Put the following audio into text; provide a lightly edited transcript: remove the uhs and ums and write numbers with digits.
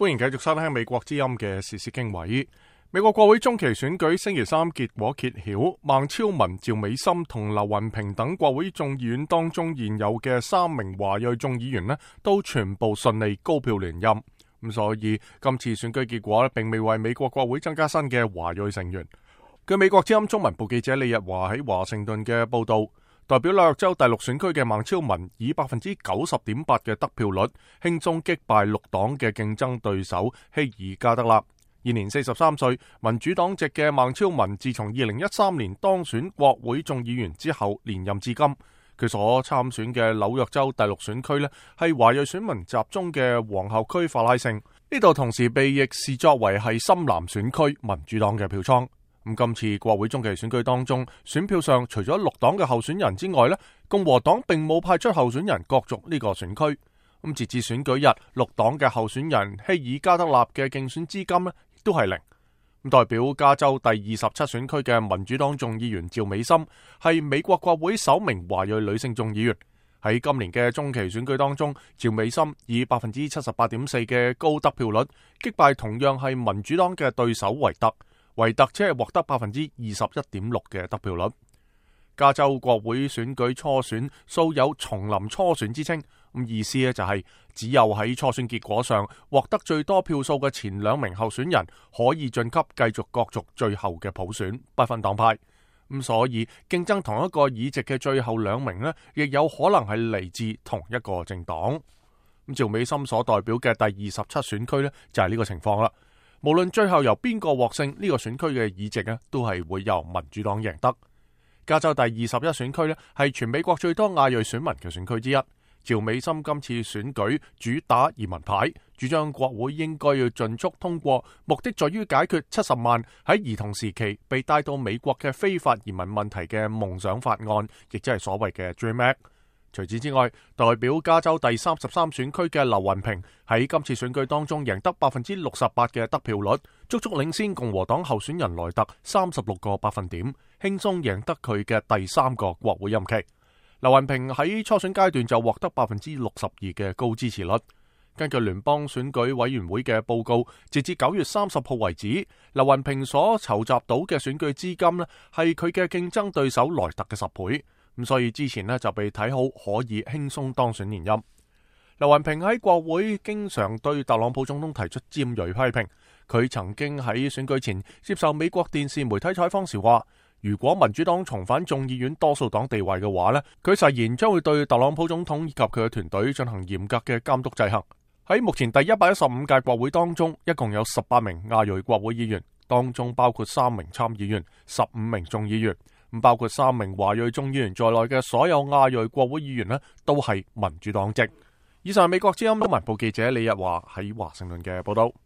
歡迎繼續收聽美國之音嘅時事經緯。美國國會中期選舉星期三結果揭曉，孟超文、趙美心同劉雲平等國會眾議院當中現有嘅3名華裔眾議員都全部順利高票連任。咁所以今次選舉結果並未為美國國會增加新嘅華裔成員。據美國之音中文部記者李日華喺華盛頓嘅報道，代表紐約州第6選區嘅孟超文以 90.8% 嘅得票率輕鬆擊敗綠黨嘅競爭對手希爾加德納。現年43歲，民主黨籍嘅孟超文自從2013年當選國會眾議員之後連任至今。佢所參選嘅紐約州第6選區係華裔選民集中嘅皇后區法拉盛，呢度同時被亦視作為係深藍選區民主黨嘅票倉。咁今次國會中期選舉當中，選票上除咗綠黨嘅候選人之外，共和黨並冇派出候選人角逐呢個選區。咁截至選舉日，綠黨嘅候選人希爾加德納嘅競選資金亦都係零。咁代表加州第27選區嘅民主黨眾議員趙美心係美國國會首名華裔女性眾議員。喺今年嘅中期選舉當中，趙美心以 78.4% 嘅高得票率擊敗同樣係民主黨嘅對手維特。維特只係獲得 21.6% 嘅得票率。加州國會選舉初選素有叢林初選之稱，咁意思就係只有喺初選結果上獲得最多票數嘅前2名候選人可以晉級繼續角逐最後嘅普選，不分黨派。咁所以競爭同一個議席嘅最後2名亦有可能係嚟自同一個政黨。咁趙美心所代表嘅第27選區就係呢個情況啦。無論最後由邊個獲勝，呢個選區嘅議席都係會由民主黨贏得。加州第21選區係全美國最多亞裔選民嘅選區之一。趙美心今次選舉主打移民牌，主張國會應該要盡速通過，目的在於解決70萬喺兒童時期被帶到美國嘅非法移民問題嘅夢想法案，亦即係所謂嘅 Dream Act。除此之外，代表加州第33選區嘅劉雲平喺今次選舉當中贏得 68% 嘅得票率，足足領先共和黨候選人萊特36個百分點，輕鬆贏得佢嘅第3個國會任期。劉雲平喺初選階段就獲得 62% 嘅高支持率。根據聯邦選舉委員會嘅報告，截至9月30號為止，劉雲平所籌集到嘅選舉資金係佢嘅競爭對手萊特嘅10倍。咁所以之前就被睇好可以輕鬆當選連任。劉雲平喺國會經常對特朗普總統提出尖銳批評。佢曾經喺選舉前接受美國電視媒體採訪時話，如果民主黨重返眾議院多數黨地位嘅話佢誓言將會對特朗普總統以及佢嘅團隊進行嚴格嘅監督制衡。喺目前第115屆國會當中，一共有18名亞裔國會議員，當中包括3名參議員、15名眾議員。包括3名華裔眾議員在內嘅所有亞裔國會議員都係民主黨籍。以上係美國之音中文部記者李日華喺華盛頓嘅報道。